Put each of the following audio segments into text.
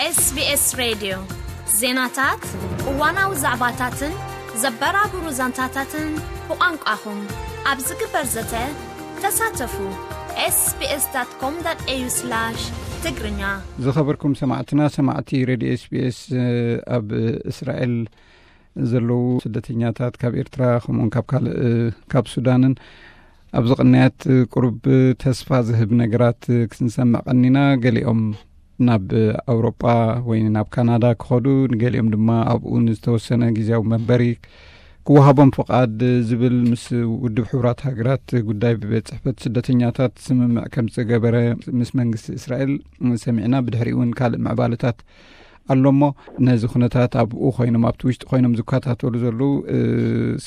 SBS ሬድዮ፣ ዜናታት፣ እዋናዊ ዛዕባታትን ዘበራብሩ ዛንታታትን ብቋንቋኹም ኣብ ዝግበር ዘተ ተሳተፉ። SBS.com.au/ትግርኛ። ዝኸበርኩም ሰማዕትና፣ ሰማዕቲ ሬድዮ SBS፣ ኣብ እስራኤል ዘለዉ ስደተኛታት ካብ ኤርትራ፣ ከምኡውን ካብ ካልእ፣ ካብ ሱዳንን ኣብዚ ቅንያት ቁሩብ ተስፋ ዝህብ ነገራት ክንሰምዕ ቀኒና። ገሊኦም ናብ ኣውሮጳ ወይ ናብ ካናዳ ክኸዱ፣ ንገሊኦም ድማ ኣብኡ ንዝተወሰነ ግዜያዊ መንበሪ ክወሃቦም ፍቓድ ዝብል ምስ ውድብ ሕቡራት ሃገራት ጉዳይ ቤት ጽሕፈት ስደተኛታት ስምምዕ ከም ዝገበረ ምስ መንግስቲ እስራኤል ሰሚዕና። ብድሕሪኡ እውን ካልእ ምዕባለታት ኣሎ እሞ፣ ነዚ ኩነታት ኣብኡ ኮይኖም፣ ኣብቲ ውሽጢ ኮይኖም ዝከታተሉ ዘለዉ፣ እ፣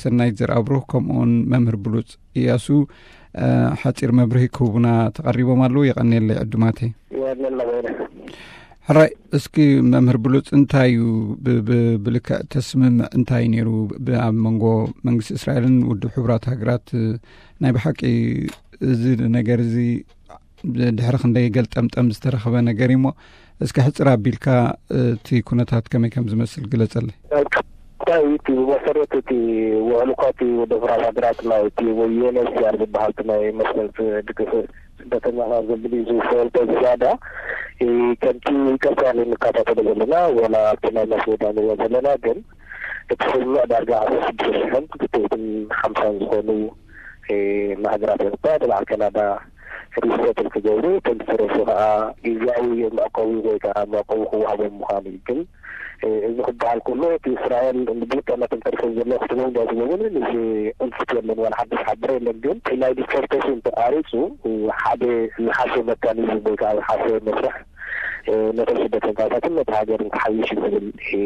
ሰናይት ዘርኣብሩኽ ከምኡውን መምህር ብሉጽ እያሱ፣ እ፣ ሓጺር መብርሂ ክህቡና ተቐሪቦም ኣለዉ። የቐንየለይ ዕዱማተይ። የቐንየልና በይነ። ሕራይ፣ እስኪ መምህር ብሉጽ፣ እንታይ እዩ ብ-፣ ብ-፣ ብልክዕ ተስምምዕ እንታይ ነይሩ ብ-፣ ኣብ መንጎ መንግስቲ እስራኤልን ውድብ ሕቡራት ሃገራት? እ፣ ናይ ብሓቂ እዚ ነገር እዚ ድሕሪ ክንደይ ገልጠምጠም ዝተረኸበ ነገር እዩ እሞ፣ እስኪ ሕጽር ኣቢልካ እቲ ኩነታት ከመይ ከም ዝመስል ግለጸለይ። እንታይ እዩ እቲ ብመሰረት እቲ ውዕል እኳ እቲ ውድብ ሕቡራት ሃገራት ናይ እቲ ወይ ዩ ኤን ኤች ሲ ኣር ዝበሃል እቲ ናይ መሰል ድግፍ ስደተኛታት ዘብል እዩ ዝፈልጦ ዝያዳ፣ እ፣ ከምቲ ቀጻሊ እንከታተሎ ዘለና፣ ወላ ኣብቲ ናይ ማስ ሜድያ ንሪኦ ዘለና፣ ግን እቲ ስምምዕ ዳርጋ ዓሰርተ ሽዱሽተ ሽሕን ክልተ ሚእትን ሓምሳን ዝኾኑ፣ እ፣ ንሃገራት ኤውሮጳ፣ ንበዓል ካናዳ ሪሰትል ክገብሩ፣ እቶም ዝተረፉ ከዓ ግዝያዊ መዕቆቢ ወይ ከዓ መዕቆቢ ክወሃቦም ምዃኑ እዩ። ግን፣ እ፣ እዚ ክበሃል ከሎ፣ እቲ እስራኤል ብልክዕ ነቶም ተሪፎም ዘለዉ ክትቦም ዶ ኣይትቦምን፣ እዚ ቅልጥፍ የለን፣ ዋላ ሓድሽ ሓበሬ የለን። ግን እቲ ናይ ዲፖርቴሽን ተቋሪጹ፣ ሓደ ዝሓሸ መካኒዝም ወይ ከዓ ዝሓሸ መስርሕ፣ እ፣ ነቶም ስደተኛታትን ነቲ ሃገርን ክሓይሽ እዩ ዝብል፣ እ፣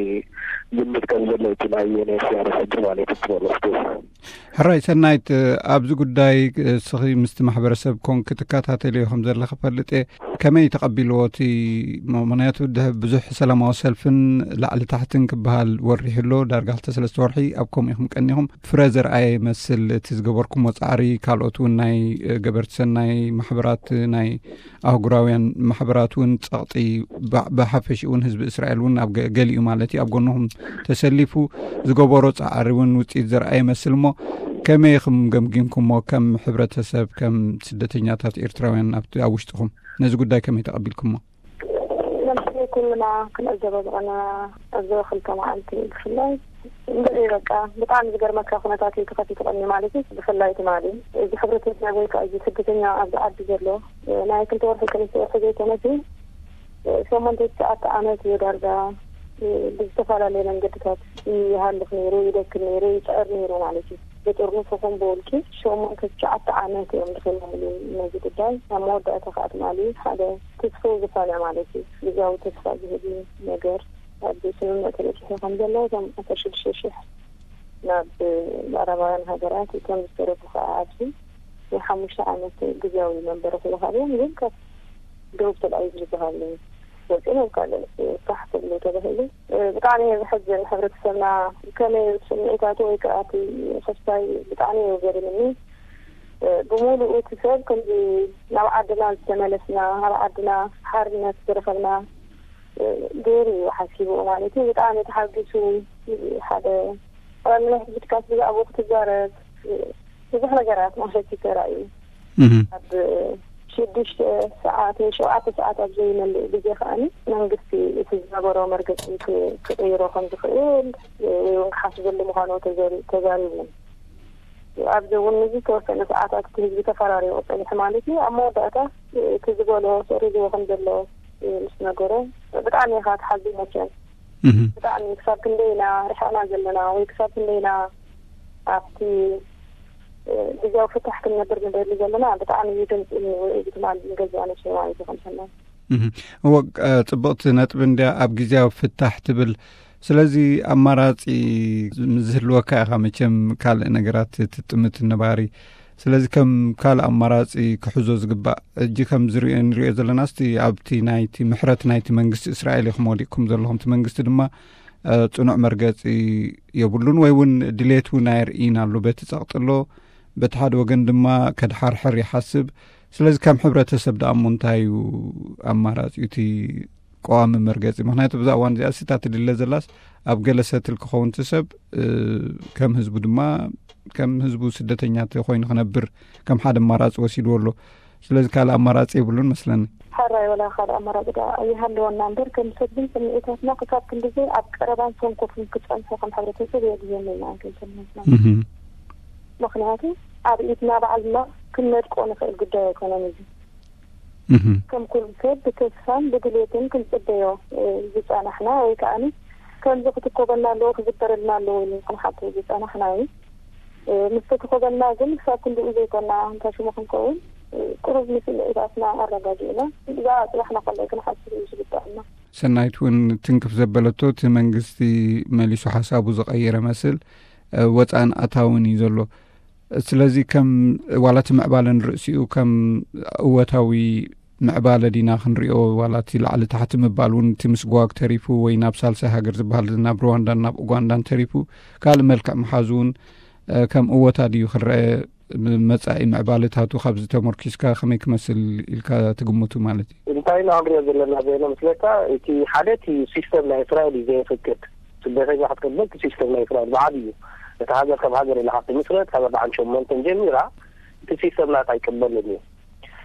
ግምት ከም ዘሎ እቲ ናይ ዩ ኤን ኤች ሲ ኣር ሕጂ ማለት እዩ ትበሎ። ሕራይ ሰናይት፣ ኣብዚ ጉዳይ እስኺ ምስቲ ማሕበረሰብ ኮንክ ትከታተልዮ ከም ዘለኺ ፈልጥ እየ። ከመይ ተቐቢልዎ እቲ? ምኽንያቱ ድሕ-፣ ብዙሕ ሰላማዊ ሰልፍን ላዕሊ ታሕትን ክበሃል ወሪሑ ኣሎ። ዳርጋ ክልተ ሰለስተ ወርሒ ኣብ ከምኡ ኢኹም ቀኒኹም። ፍረ ዘርኣየ ይመስል እቲ ዝገበርኩሞ ጻዕሪ። ካልኦት እውን ናይ፣ እ፣ ገበርቲ ሰናይ ማሕበራት፣ ናይ ኣህጉራውያን ማሕበራት እውን ጸቕጢ ባ-፣ ብሓፈሽኡ እውን ህዝቢ እስራኤል እውን ኣብ ገ-፣ ገሊኡ ማለት እዩ ኣብ ጎንኹም ተሰሊፉ ዝገበሮ ጻዕሪ እውን ውጽኢት ዘርኣየ ይመስል እሞ፣ ከመይ ኢኹም ገምጊምኩሞ ከም ሕብረተሰብ፣ ከም ስደተኛታት ኤርትራውያን ኣብቲ፣ ኣብ ውሽጥኹም ነዚ ጉዳይ ከመይ ተቐቢልኩሞ? ለምሳሌ ኩልና ክንዕዘቦ ዝቐነና ኣብዚ ክልተ መዓልቲ ብፍላይ እንድዒ በቃ ብጣዕሚ ዝገርመካ ኩነታት እዩ ተኸፊቱ ቀኒ ማለት እዩ። ብፍላይ ትማሊ እዚ ሕብረተሰብ ወይ ከዓ እዚ ስደተኛ ኣብዚ ዓዲ ዘሎ ናይ ክልተ ወርሒ ሰለስተ ወርሒ ዘይኮነስ ሸሞንተ ትሽዓተ ዓመት እዩ ዳርጋ ብዝተፈላለየ መንገድታት ይሃልፍ ነይሩ፣ ይደክም ነይሩ፣ ይፅዕር ነይሩ ማለት እዩ። ብጥርኑፍ ይኹን ብውልቂ ሸሞንተ ትሽዓተ ዓመት እዮም ድኺሞምሉ ነዚ ጉዳይ። ኣብ መወዳእታ ከዓ ትማሊ ሓደ ተስፍኡ ዝኾነ ማለት እዩ፣ ግዝያዊ ተስፋ ዝህብ ነገር ኣብ ስምምዕ ተበፂሑ ከም ዘሎ እቶም ዓሰርተ ሽዱሽተ ሽሕ ናብ ምዕራባውያን ሃገራት እቶም ዝተረፉ ከዓ ኣብዚ ናይ ሓሙሽተ ዓመት ግዝያዊ መንበሪ ክወሃብ እዮም። ግን ካብ ደቡብ ተልኣቪቭ ዝበሃል ወፂኦም ኣብ ካልእ ፋሕ ክብሉ ተባሂሉ። ብጣዕሚ እዩ ዘሕዝን። ሕብረተሰብና ከመይ ስምዒታቱ ወይ ከዓ እቲ ክስታይ ብጣዕሚ እዩ ገሪምኒ። ብምሉኡ እቲ ሰብ ከምዚ ናብ ዓድና ዝተመለስና፣ ኣብ ዓድና ሓርነት ዝረኸብና ገይሩ እዩ ሓሲብኡ ማለት እዩ። ብጣዕሚ ተሓጒሱ ሓደ ቀዳሚ ናይ ሕጂ ድቃስ ብዛዕባኡ ክትዛረብ ብዙሕ ነገራት ማለት እዩ ተራእዩ። እህ። ኣብ ሽዱሽተ ሰዓት ወይ ሸውዓተ ሰዓት ኣብ ዘይመልእ ግዜ ከኣኒ መንግስቲ እቲ ዝነበሮ መርገጺ ክ-፣ ክቕይሮ ከም ዝኽእል ወይ እውን ክሓስበሉ ምዃኑ ተዘሪ-፣ ተዛሪቡ። ኣብዚ እውን ንዝተወሰነ ሰዓታት እቲ ህዝቢ ተፈራሪቑ ጸኒሑ ማለት እዩ። ኣብ መወዳእታ እቲ ዝበሎ ሰሪዝዎ ከም ዘሎ ምስ ነገሮ ብጣዕሚ ኢኻ ትሓዝን መቸም። እህ። ብጣዕሚ ክሳብ ክንደይ ኢና ርሒቕና ዘለና ወይ ክሳብ ክንደይ ኢና ኣብቲ፣ እ፣ ግዝያዊ ፍታሕ ክንነብር ንደሊ ዘለና ብጣዕሚ እዩ ድምፂ ውዒሉ ትማሊ ንገዛእ ነብሰይ ማለት እዩ ከም ሰናይ። እህ። እወ፣ እ፣ ፅብቕቲ ነጥቢ እንድያ ኣብ ግዝያዊ ፍታሕ ትብል። ስለዚ ኣማራፂ ምስ ዝህልወካ ኢኻ መቸም ካልእ ነገራት ትጥምት ነባሪ። ስለዚ ከም ካልእ ኣማራፂ ክሕዞ ዝግባእ፣ ሕጂ ከም ዝሪኦ፣ ንሪኦ ዘለና እስቲ ኣብቲ ናይቲ ምሕረት ናይቲ መንግስቲ እስራኤል ኢኹም ወዲቕኩም ዘለኹም። እቲ መንግስቲ ድማ፣ እ፣ ጽኑዕ መርገጺ የብሉን ወይ እውን ድሌት እውን ኣየርእይን ኣሎ። በቲ ጸቕጢ ኣሎ፣ በቲ ሓደ ወገን ድማ ከድሓርሕር ይሓስብ። ስለዚ ከም ሕብረተሰብ ደኣ እሞ እንታይ እዩ ኣማራጺኡ? እቲ ቀዋሚ መርገጺ። ምክንያቱ ብዛ እዋን እዚኣ ስታ ትድለ ዘላስ ኣብ ገለ ሰትል ክኸውን እቲ ሰብ፣ እ፣ ከም ህዝቡ ድማ፣ ከም ህዝቡ ስደተኛ ኮይኑ ክነብር ከም ሓደ ኣማራጺ ወሲድዎ ኣሎ። ስለዚ ካልእ ኣማራጺ የብሉን መስለኒ። ሓራይ ወላ ካልእ ኣማራጺ ደኣ ኣይሃለወና እምበር፣ ከም ሰብ ግን ስምዒታትና ክሳብ ክንድዚ ኣብ ቀረባን ሰንኮፍን ክጸንሑ ከም ሕብረተሰብ የድልየና ኢና፣ ኣይከልከልናትና። እህ። ምክንያቱ ኣብ ኢድና ባዕልና ክንነድቆ ንኽእል ጉዳይ ኣይኮነን እዚ። እህ። ከም ኩሉ ሰብ ብተስፋን ብድሌትን ክንጽበዮ፣ እ፣ ዝጸናሕና ወይ ከኣኒ ከምዚ ክትኮበልና ኣለዎ፣ ክዝበረልና ኣለዎ ኢሉ ክንሓቶ ዝጸናሕና እዩ። እ፣ ምስ ተተኮበልና ግን ክሳብ ክንድኡ ዘይኮና፣ እንታ ሽሙ ክንከውን፣ እ፣ ቅሩብ ንስምዒታትና ኣረጋጊእና፣ ብዛዕባ ጽባሕና ከላይ ክንሓስብ እዩ ዝግባኣና። ሰናይት እውን ትንክፍ ዘበለቶ፣ እቲ መንግስቲ መሊሱ ሓሳቡ ዝቐየረ መስል፣ እ፣ ወጻእን ኣታውን እዩ ዘሎ። ስለዚ ከም ዋላ እቲ ምዕባለ ንርእሲኡ ከም እወታዊ ምዕባለ ዲና ክንሪኦ፣ ዋላ እቲ ላዕሊ ታሕቲ ምባል እውን፣ እቲ ምስጓግ ተሪፉ ወይ ናብ ሳልሳይ ሃገር ዝበሃል ናብ ሩዋንዳን ናብ ኡጋንዳን ተሪፉ፣ ካልእ መልክዕ ምሓዙ እውን፣ እ፣ ከም እወታ ድዩ ክረአ? መጻኢ ምዕባለታቱ ካብዚ ተመርኪስካ ከመይ ክመስል ኢልካ ትግምቱ ማለት እዩ? እንታይ ኢና ክንሪኦ ዘለና ዘለና መስለካ? እቲ ሓደ እቲ ሲስተም ናይ እስራኤል እዩ ዘየፍቅድ። ስደተኛ ክትቅበል እቲ ሲስተም ናይ እስራኤል ብዓብዩ እዩ። እቲ ሃገር ከም ሃገር ኢላ ካብ ትምስረት ካብ ኣርባዓን ሸሞንተን ጀሚራ እቲ ሲስተም ናታ ኣይቅበልን እዩ።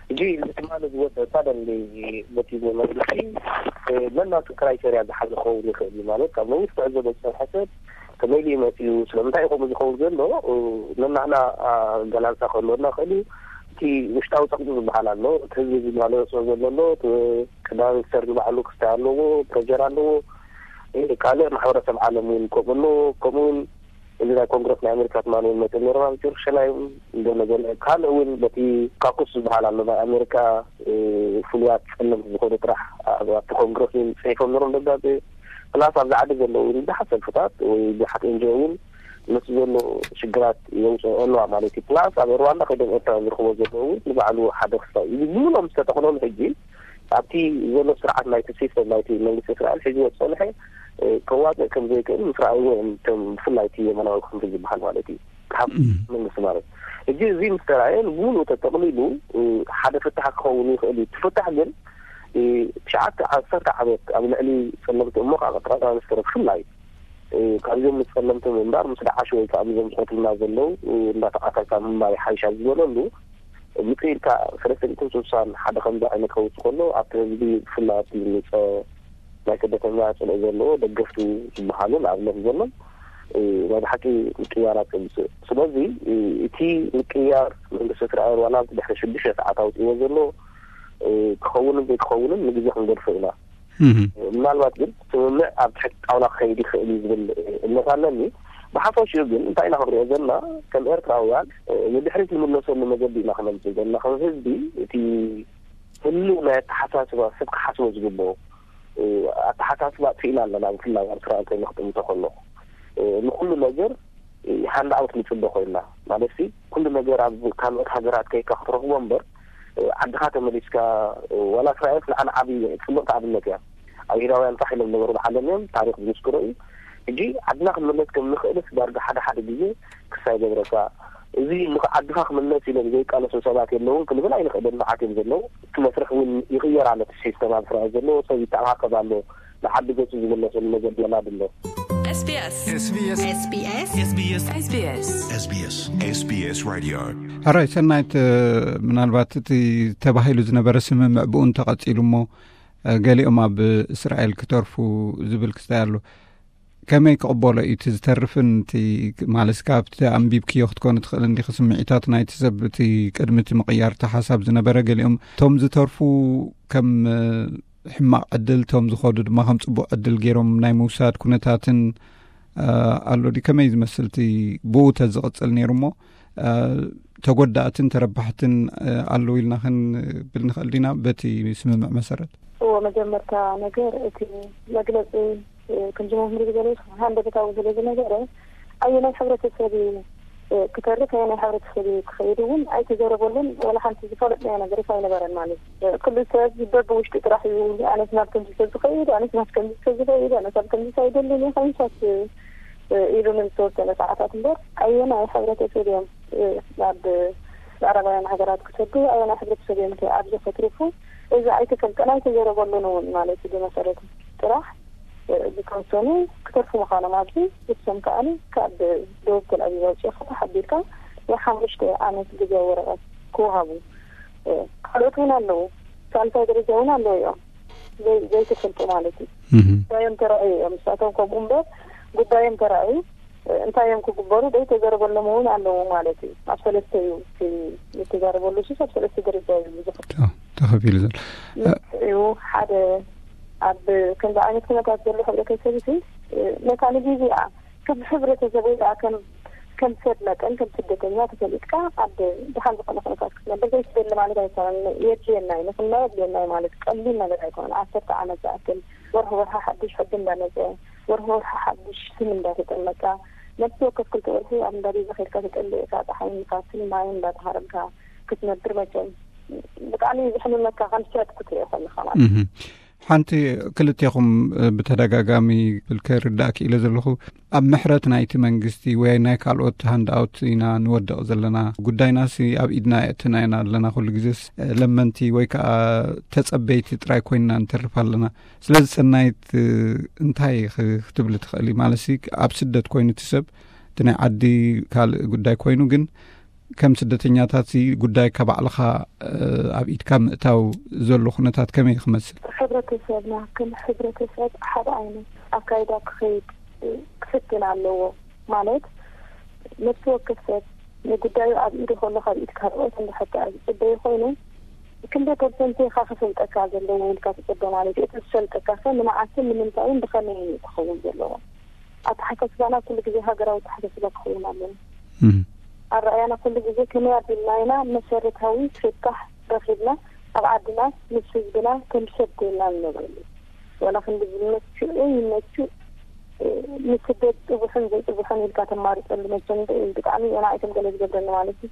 ሕጂ ትማሊ ዝወፀ ሳደንሊ በቲ መንግስቲ፣ እ፣ ነናቱ ክራይቴርያ ዝሓዘ ክኸውን ይኽእል እዩ። ማለት ካብ መንግስቲ ክዕዘቦ ዝፀንሐ ሰብ ከመይ ኢሉ መፅኡ፣ ስለምንታይ እዩ ከምኡ ዝኸውን ዘሎ፣ እ፣ ነናህና ኣገላልፃ ክህልወና ይኽእል እዩ። እቲ ውሽጣዊ ፀቕጢ ዝበሃል ኣሎ፣ እቲ ህዝቢ ዝመለሶ ዘሎ ኣሎ፣ እቲ ቅዳም ሚኒስተር ዝበዓሉ ክስታይ ኣለዎ፣ ፕሬጀር ኣለዎ። እ፣ ካልእ ማሕበረሰብ ዓለም እውን ከምኡ ኣሎ። ከምኡ እውን እዚ ናይ ኮንግረስ ናይ ኣሜሪካ ትማሊ እውን መፅእ ነይሮም ኣብ ጀሩሳሌም። እንደገና ካልእ እውን በቲ ካኩስ ዝበሃል ኣሎ ናይ ኣሜሪካ፣ እ፣ ፍሉያት ጸለምቲ ዝኾኑ ጥራሕ ኣብ፣ ኣብቲ ኮንግረስ እውን ጽሒፎም ነይሮም ደብዳቤ። ፕላስ ኣብዚ ዓዲ ዘለዉ እውን ብዙሓት ሰልፍታት ወይ ብዙሓት ኤንጂኦ እውን ነቲ ዘሎ ሽግራት የውፅኦ ኣለዋ ማለት እዩ። ፕላስ ኣብ ሩዋንዳ ከይዶም ኤርትራ ዝርኽቦ ዘለዉ እውን ንባዕሉ ሓደ ክስታይ እዩ። ብምሎም ዝተጠቕለሉ ሕጂ ኣብቲ ዘሎ ስርዓት ናይቲ ሲስተም ናይቲ መንግስቲ እስራኤል ሒዝዎ ዝጸንሐ፣ እ፣ ከዋጽእ ከም ዘይክእል ምስ ረኣይዎ እዮም እቶም ብፍላይ እቲ የመናዊ ክንፊ ዝበሃል ማለት እዩ። ካብ እም። መንግስቲ ማለት። ሕጂ እዚ ምስ ተራእየ ንብምሉኡ ተጠቕሊሉ፣ እ፣ ሓደ ፍታሕ ክኸውን ይኽእል እዩ። እቲ ፍታሕ ግን፣ እ፣ ትሽዓተ ዓሰርተ ዓመት ኣብ ልዕሊ ጸለምቲ እሞ ከዓ ጠቅላይ ሚኒስትር ብፍላይ፣ እ፣ ካብዞም ምስ ጸለምቲ ምንባር ምስ ደዓሽ ወይ ከዓ ምስዞም ዝቐትሉና ዘለዉ፣ እ፣ እንዳተቓተልካ ምንባር ይሓይሽ ኣብ ዝበለሉ፣ ምጽእ ኢልካ ሰለስተ ሚእትን ስሳን ሓደ ከምዚ ዓይነት ከውጽእ ከሎ ኣብቲ ህዝቢ ብፍላይ ኣብቲ ምጸ ናይ ስደተኛ ጽልኢ ዘለዎ ደገፍቱ ዝበሃሉ ንኣብነት ዘሎም፣ እ፣ ናይ ብሓቂ ምቅያራት የምጽእ። ስለዚ፣ እ፣ እቲ ምቅያር መንግስቲ እስራኤል ዋላ ድሕሪ ሽዱሽተ ሰዓት ኣውጺእዎ ዘሎ፣ እ፣ ክኸውንን ዘይክኸውንን ንግዜ ክንገድፎ ኢና። እህ። ምናልባት ግን ስምምዕ ኣብ ትሕቲ ጣውላ ክኸይድ ይኽእል እዩ ዝብል እምነት ኣለኒ። ብሓፈሽኡ ግን እንታይ ኢና ክንሪኦ ዘለና? ከም ኤርትራውያን፣ እ፣ ንድሕሪት ንምለሰሉ መገዲ ኢና ክነምጽእ ዘለና። ከም ህዝቢ እቲ ህልው ናይ ኣተሓሳስባ ሰብ ክሓስቦ ዝግብኦ፣ እ፣ ኣተሓሳስባ ኣጥፊእና ኣለና። ብፍላይ ኣብ ስራኤል ኮይኑ ክጥምቶ ከለኹ፣ እ፣ ንኩሉ ነገር፣ እ፣ ሃንድ ኣውት ንጽበ ኮይንና። ማለት ሲ፣ ኩሉ ነገር ኣብ ካልኦት ሃገራት ከይካ ክትረኽቦ እምበር፣ እ፣ ዓድኻ ተመሊስካ፣ እ፣ ዋላ እስራኤል ንዓና ዓቢ ጽብቕቲ ኣብነት እያ። ኣብ ኢራውያን ፋሕ ኢሎም ነበሩ ብዓለም እዮም፣ ታሪኽ ዝምስክሮ እዩ። ሕጂ ዓድና ክንምለስ ከም ንኽእልስ ዳርጋ ሓደ ሓደ ግዜ ክሳይ ገብረካ። እዚ ንኽ-፣ ዓድኻ ክምለስ ኢሎም ዘይቃለሱ ሰባት የለውን ክንብል ኣይንኽእልን፣ መዓት እዮም ዘለዉ። እቲ መስርሕ እውን ይቕየር ኣሎ፣ እቲ ሲስተም ኣብ እስራኤል ዘለዎ ሰብ ይተኣኻኸብ ኣሎ፣ ንዓዲ ገጹ ዝምለሰሉ ነገር የናድ ኣሎ። SBS SBS SBS SBS SBS SBS Radio። ሕራይ ሰናይት፣ ምናልባት እቲ ተባሂሉ ዝነበረ ስምምዕ ብኡ እንተቐጺሉ እሞ፣ ገሊኦም ኣብ እስራኤል ክተርፉ ዝብል ክስታይ ኣሎ። ከመይ ክቕበሎ እዩ እቲ ዝተርፍን እቲ ማለት ካብቲ ኣንቢብክዮ ክትኮን ትኽእል እንዲኺ ስምዒታት ናይቲ ሰብ እቲ ቅድሚ እቲ ምቕያር እቲ ሓሳብ ዝነበረ ገሊኦም እቶም ዝተርፉ ከም ሕማቕ ዕድል እቶም ዝኸዱ ድማ ከም ጽቡቕ ዕድል ገይሮም ናይ ምውሳድ ኩነታትን ኣሎ ድዩ? ከመይ ዝመስል እቲ ብኡ ተዝቕጽል ነይሩ እሞ ተጎዳእትን ተረባሕትን ኣለዉ ኢልና ክንብል ንኽእል ዲና በቲ ስምምዕ መሰረት? እዎ፣ መጀመርታ ነገር እቲ መግለጺ፣ እ፣ ከምዚ መምህር ዝበሎ ሃንደበታዊ ስለ ዝነበረ ኣየናይ ሕብረተሰብ እዩ፣ እ፣ ክተርፍ ኣየናይ ሕብረተሰብ እዩ ክኸይድ እውን ኣይተዘረበሉን። ወላ ሓንቲ ዝፈለጥናዮ ነገር ኣይነበረን ማለት እዩ። እ፣ ኩሉ ሰብ በብውሽጡ ጥራሕ እዩ ኣነስ ናብ ከምዚ ሰብ ዝኸይድ፣ ኣነስ ናብ ከምዚ ሰብ ዝኸይድ፣ ኣነስ ኣብ ከምዚ ሰብ ይደልን እየ ከምሳት፣ እ፣ ኢሉ ንዝተወሰነ ሰዓታት እምበር ኣየናይ ሕብረተሰብ እዮም፣ እ፣ ናብ ምዕራባውያን ሃገራት ክሰዱ ኣየናይ ሕብረተሰብ እዮም ከ ኣብዚ ከትርፉ እዚ ኣይተፈልጠን ኣይተዘረበሉን እውን ማለት እዩ። ብመሰረት ጥራሕ ዝተወሰኑ ክተርፉ ምዃኖም ኣብዚ እሶም ከዓኒ ካብ ደቡብ ተልኣቪቭ ኣውፅእኻ ተሓቢርካ ናይ ሓሙሽተ ዓመት ግዜ ወረቐት ክወሃቡ ካልኦት እውን ኣለዉ። ሳልሳይ ደረጃ እውን ኣለዉ እዮም ዘይተፈልጡ ማለት እዩ። ጉዳዮም ተራእዩ እዮም። ንሳቶም ከምኡ እምበር ጉዳዮም ተራእዩ እንታይ እዮም ክግበሩ ዘይተዘረበሎም እውን ኣለዉ ማለት እዩ። ኣብ ሰለስተ እዩ ዝተዛረበሉ ሱስ ኣብ ሰለስተ ደረጃ እዩ ብዙሕ ተኸፊሉ ዘሎ እዩ። ሓደ ኣብ ከምዚ ዓይነት ኩነታት ዘሎ ሕብረተሰብ ሲ ነታ ንግዜኣ ከም ሕብረተሰብ ወይ ከዓ ከም ከም ሰብ መጠን ከም ስደተኛ ተፈሊጥካ ኣብ ድሓን ዝኾነ ኩነታት ክትነብር ዘይትደሊ ማለት ኣይኮነን። የድልየና እዩ ንክና የድልየና እዩ ማለት ቀሊል ነገር ኣይኮነን። ዓሰርተ ዓመት ዝኣክል ወርሒ ወርሒ ሓዱሽ ሕጊ እንዳመፀ ወርሒ ወርሒ ሓዱሽ ስም እንዳተጠመቃ ነብሲ ወከፍ ክልተ ወርሒ ኣብ እንዳቤዛ ከድካ ተጠልእካ ፀሓይን ንፋስን ማይን እንዳተሃረምካ ክትነብር መቸም ብጣዕሚ ዝሕምመካ ከም ሰብ ክትሪኦ ከለካ ማለት ሓንቲ ክልቴኹም ብተደጋጋሚ ብል ከርዳእ ክኢለ ዘለኹ ኣብ ምሕረት ናይቲ መንግስቲ ወይ ናይ ካልኦት ሃንዳኣውት ኢና ንወድቕ ዘለና ጉዳይናሲ ኣብ ኢድና የእትና ኢና ኣለና ኩሉ ግዜስ ለመንቲ ወይ ከዓ ተጸበይቲ ጥራይ ኮይንና ንተርፍ ኣለና ስለዚ ሰናይት እንታይ ክትብል ትኽእል ማለት ኣብ ስደት ኮይኑ እቲ ሰብ እቲ ናይ ዓዲ ካልእ ጉዳይ ኮይኑ ግን ከም ስደተኛታት ጉዳይካ ባዕልኻ ኣብ ኢድካ ምእታው ዘሎ ኩነታት ከመይ ክመስል? ሕብረተሰብና ከም ሕብረተሰብ ሓደ ዓይነት ኣካይዳ ክኸይድ ክፍትን ኣለዎ። ማለት ነፍሲ ወከፍ ሰብ ንጉዳዩ ኣብ ኢዱ ከሎ ካብ ኢድ ካልኦት እንድሕር ዝፅበዩ ኮይኑ ክንደይ ፐርሰንት ኢኻ ክፈልጠካ ዘለዎ ኢልካ ትፅበ ማለት እዩ። እቲ ዝፈልጠካ ከ ንመዓስን ንምንታይን ብኸመይን እዩ ክኸውን ዘለዎ? ኣተሓሳስባና ኩሉ ግዜ ሃገራዊ ኣተሓሳስባ ክኸውን ኣለዎ። ኣረኣያና ኩሉ ግዜ ከመይ ኣቢልና ኢና መሰረታዊ ፍታሕ ረኺብና ኣብ ዓድና ምስ ህዝብና ከም ሰብ ኮይንና ንነብረሉ ዋላ ክንዲ ዝመችኡ ይመችእ ንስደት ፅቡሕን ዘይፅቡሕን ኢልካ ተማርፀሉ መቸም ብጣዕሚ እየና ኣይተም ገለ ዝገብረኒ ማለት እዩ።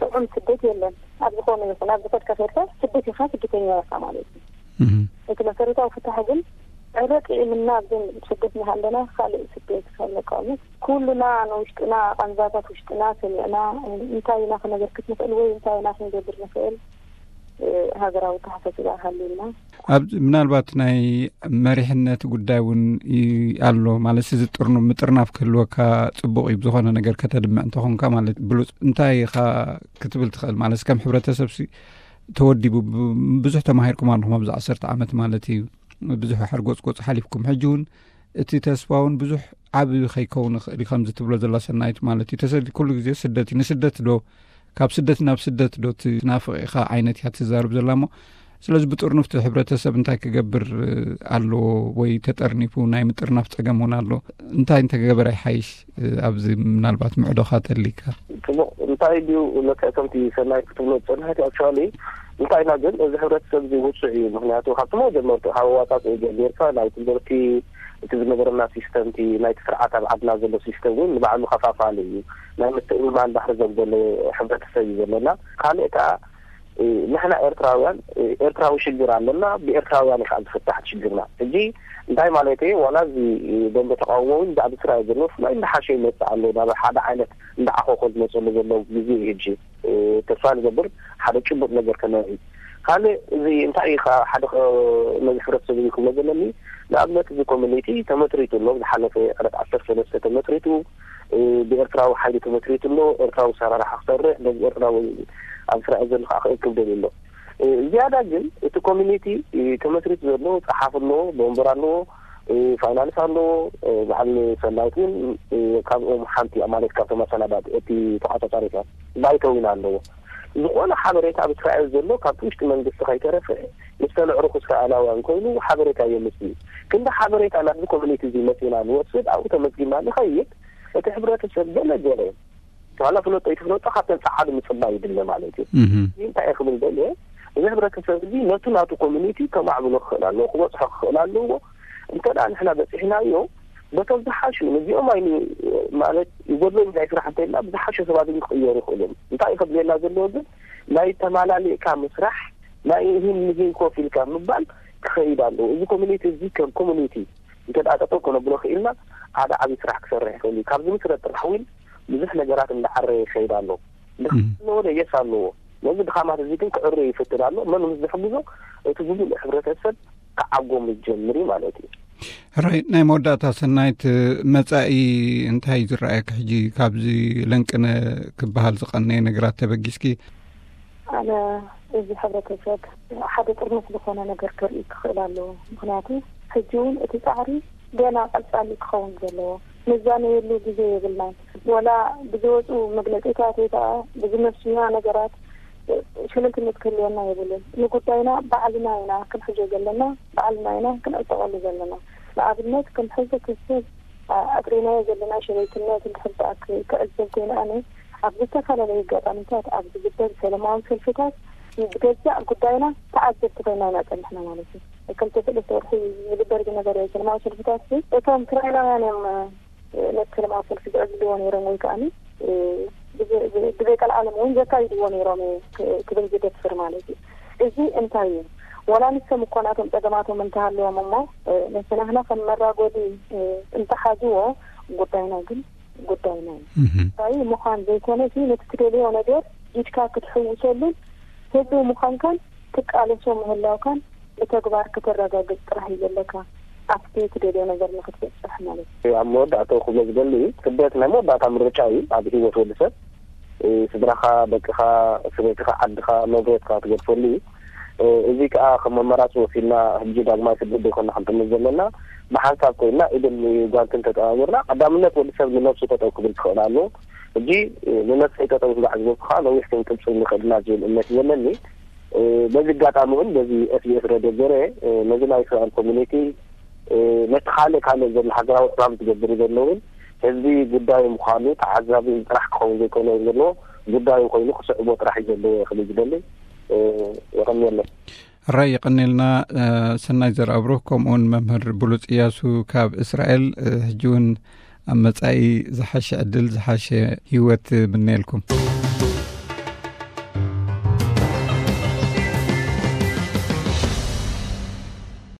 ጥዑም ስደት የለን ኣብ ዝኾነ ይኹን ኣብ ዝኸድካ ከድካ ስደት ኢኻ ስደተኛ ኢኻ ማለት እዩ። እቲ መሰረታዊ ፍታሕ ግን ዕረ ጥዒምና ኣብዘን ስደት ንሃለና ካልእ ስደት ካብ መቃወምት ኩሉና ንውሽጥና ቃንዛታት ውሽጥና ሰሚዕና እንታይ ኢና ክነበርክት ንኽእል ወይ እንታይ ኢና ክንገብር ንኽእል ሃገራዊ ተሓሳስባ ሃልዩና። ኣብ ምናልባት ናይ መሪሕነት ጉዳይ እውን ኣሎ ማለት እዚ ጥርኑ ምጥርናፍ ክህልወካ ፅቡቅ እዩ ብዝኾነ ነገር ከተድምዕ እንተኾንካ ማለት ብሉፅ እንታይ ኢኻ ክትብል ትኽእል ማለት ከም ሕብረተሰብ ተወዲቡ ብዙሕ ተማሂርኩም ኣለኹም ኣብዚ ዓሰርተ ዓመት ማለት እዩ ብዙሕ ሓርጎፅጎፅ ሓሊፍኩም ሕጂ እውን እቲ ተስፋ እውን ብዙሕ ዓቢ ከይከውን ይኽእል እዩ ከምዚ ትብሎ ዘላ ሰናይት ማለት እዩ ተሰዲ ኩሉ ግዜ ስደት እዩ ንስደት ዶ ካብ ስደት ናብ ስደት ዶ ትናፍቕ ኢኻ ዓይነት እያ ትዛረብ ዘላ እሞ ስለዚ ብጥርኑፍቲ ሕብረተሰብ እንታይ ክገብር ኣለዎ ወይ ተጠርኒፉ ናይ ምጥርናፍ ፀገም እውን ኣሎ እንታይ እንተገበረ ይሓይሽ ኣብዚ ምናልባት ምዕዶኻ ተሊካ ጽቡቕ እንታይ ድዩ ነከ ከምቲ ሰናይ ክትብሎ ዝጸናሕቲ ኣክቹዋሊ እንታይ ኢና ግን እዚ ሕብረተሰብ እዚ ውሱዕ እዩ ምክንያቱ ካብቲ መጀመርቱ ካብ ኣዋጻጽእ ጀሚርካ ናይ ትምህርቲ እቲ ዝነበረና ሲስተም እቲ ናይቲ ስርዓት ኣብ ዓድና ዘሎ ሲስተም እውን ንባዕሉ ከፋፋሊ እዩ ናይ ምትእምማን ባህሪ ዘጉደለ ሕብረተሰብ እዩ ዘለና ካልእ ከዓ ንሕና ኤርትራውያን ኤርትራዊ ሽግር ኣለና ብኤርትራውያን ከዓ ዝፍታሕ ሽግርና ሕጂ እንታይ ማለት እዩ ዋላ እዚ ደንበ ተቃውሞ እውን ብዛዕባ ስራኤል ዘሎ ብፍላይ እንዳሓሸ ይመፅእ ኣሎ ናብ ሓደ ዓይነት እንዳዓኾኾ ዝመፀሉ ዘሎ ግዜ እዩ ሕጂ ተስፋ ንገብር ሓደ ጭቡጥ ነገር ከነርኢ ካልእ እዚ እንታይ እዩ ከዓ ሓደ ነዚ ሕብረተሰብ እዚ ክብሎ ዘለኒ ንኣብነት እዚ ኮሚኒቲ ተመስሪቱ ኣሎ ዝሓለፈ ዕለት ዓሰርተ ሰለስተ ተመስሪቱ ብኤርትራዊ ሓይሊ ተመስሪቱ ኣሎ ኤርትራዊ ሰራርሓ ክሰርሕ ነዚ ኤርትራዊ ኣብ እስራኤል ዘሎ ከዓ ክእክብ ደልዩ ኣሎ ዝያዳ ግን እቲ ኮሚኒቲ ተመስሪቱ ዘሎ ፀሓፍ ኣለዎ ወንበር ኣለዎ ፋይናንስ ኣለዎ በዓል ሰናይት እውን ካብኦም ሓንቲ እያ ማለት ካብቶም ኣሰናዳት እቲ ተቋፃፃሪት እያ ባይተው ኢና ኣለዎ ዝኾነ ሓበሬታ ኣብ እስራኤል ዘሎ ካብቲ ውሽጢ መንግስቲ ከይተረፈ ምስ ተንዕሩኹ እስራኤላውያን ኮይኑ ሓበሬታ የምፅእ እዩ ክንዲ ሓበሬታ ናብዚ ኮሚኒቲ እዚ መፂና ንወስድ ኣብኡ ተመዝጊብና ንኸይድ እቲ ሕብረተሰብ ገለ ገለ ዋላ ፍለጦ ይትፍለጦ ካብተን ፀዓዱ ምፅባይ ይድለ ማለት እዩ እንታይ እየ ክብል ደልየ እዚ ሕብረተሰብ እዚ ነቱ ናቱ ኮሚኒቲ ከማዕብሎ ክኽእል ኣለዎ ክበፅሖ ክኽእል ኣለዎ እንተ ደኣ ንሕና በፂሕናዮ በቶም ዝሓሹ ነዚኦም ኣይኑ ማለት ይጎድሎም ናይ ስራሕ እንተኢልና ብዝሓሸ ሰባት ግን ክቕየሩ ይኽእሉ እዮም እንታይ እዩ ከድልየና ዘለዎ ግን ናይ ተማላሊእካ ምስራሕ ናይ ይህን ንህን ኮፍ ኢልካ ምባል ክኸይድ ኣለዎ እዚ ኮሚኒቲ እዚ ከም ኮሚኒቲ እንተ ደኣ ጠጠው ከነብሎ ክኢልና ሓደ ዓብዪ ስራሕ ክሰርሕ ይኽእል እዩ ካብዚ ምስረት ጥራሕ እውን ብዙሕ ነገራት እንዳዓረየ ይኸይድ ኣሎ ድኻ ኣለዎ ዶ የስ ኣለዎ ነዚ ድኻማት እዚ ግን ክዕረ ይፍትን ኣሎ። መን ምስ ዝሕግዞ? እቲ ብሙሉእ ሕብረተሰብ ክዓጎም ይጀምር እዩ ማለት እዩ። ሕራይ፣ ናይ መወዳእታ ሰናይት፣ መጻኢ እንታይ እዩ ዝረኣየኪ? ሕጂ ካብዚ ለንቅነ ክበሃል ዝቐነየ ነገራት ተበጊስኪ? ኣነ፣ እዚ ሕብረተሰብ ሓደ ጥርኑፍ ዝኾነ ነገር ክርኢ ክኽእል ኣለዎ። ምኽንያቱ ሕጂ እውን እቲ ጻዕሪ ገና ቀጻሊ ክኸውን ዘለዎ፣ ንዛነየሉ ግዜ የብልናን። ወላ ብዝወፁ መግለፂታት ወይ ከዓ ብዝመስሉና ነገራት ሽልልትነት ክህልወና የብሉን። ንጉዳይና ባዕልና ኢና ክንሕዞ ዘለና፣ ባዕልና ኢና ክንዕጠቐሉ ዘለና። ንኣብነት፣ ከም ሕብረተሰብ ኣጥሪናዮ ዘለና ሸለልትነት እንድሕር ደኣ ክዕዘብ ኮይኑ፣ ኣነ ኣብ ዝተፈላለዩ ኣጋጣሚታት ኣብ ዝግበር ሰላማዊ ሰልፍታት ብገዛእ ጉዳይና ተዓዘብቲ ኮይና ኢና ጸኒሕና ማለት እዩ። ክልተ ሰለስተ ወርሒ ዝግበር ዝነበረ ሰላማዊ ሰልፍታት፣ እቶም እስራኤላውያን እዮም ነቲ ሰላማዊ ሰልፊ ዝዕብልዎ ነይሮም ወይ ከዓኒ ብዘይ ቀልዓለም እውን ዘካይድዎ ነይሮም ክብል ዝደፍር ማለት እዩ። እዚ እንታይ እዩ? ወላ ንሶም እኮ ናቶም ጸገማቶም እንተሃለዎም እሞ፣ ነቲ ናህና ከም መራጎዲ እንተሓዝዎ፣ ጉዳይና ግን ጉዳይና እዩ። እንታይ ምዃን ዘይኮነ፣ ነቲ ትደልዮ ነገር ኢድካ ክትሕውሰሉን ህዝቢ ምዃንካን ትቃለሶ ምህላውካን ብተግባር ከተረጋግጽ ጥራሕ እዩ ዘለካ፣ ኣብቲ ትደልዮ ነገር ንክትበጽሕ ማለት እዩ። ኣብ መወዳእታ ክብሎ ዝደሊ፣ ስደት ናይ መወዳእታ ምርጫ እዩ ኣብ ህይወት ወዲ ሰብ። ስድራኻ፣ ደቅኻ፣ ሰበይትኻ፣ ዓድኻ፣ ንብረትካ ትገድፈሉ እዩ። እዚ ከዓ ከም ኣማራፂ ወሲድና ሕጂ ዳግማይ ስደት ዘይኮና ክንጥምት ዘለና፣ ብሓንሳብ ኮይና ኢድን ጓንትን ተጠማሚርና፣ ቀዳምነት ወዲ ሰብ ንነብሱ ጠጠው ክብል ክኽእል ኣለዎ። ሕጂ ንነብሰይ ጠጠው ስጋዕ ዝበልኩ ከዓ ነዊሕ ክንቅፅል ንኽእል ኢና ዝብል እምነት እዩ ዘለኒ። በዚ ኣጋጣሚ እውን በዚ SBS ሬድዮ ገይረ ነዚ ናይ እስራኤል ኮሚኒቲ፣ ነቲ ካልእ ካልእ ዘሎ ሃገራዊ ዕማም ዝገብሩ ዘለውን ህዝቢ ጉዳዩ ምዃኑ ተዓዛቢ ጥራሕ ክኸውን ዘይኮነ ዘለዎ፣ ጉዳዩ ኮይኑ ክስዕቦ ጥራሕ እዩ ዘለዎ ክብል ዝደሊ። የቐንየለይ። ሕራይ የቐንየልና። ሰናይ ዘርኣብሩኽ፣ ከምኡውን መምህር ብሉጽ እያሱ ካብ እስራኤል፣ ሕጂ እውን ኣብ መጻኢ ዝሓሸ ዕድል፣ ዝሓሸ ህይወት ምነየልኩም።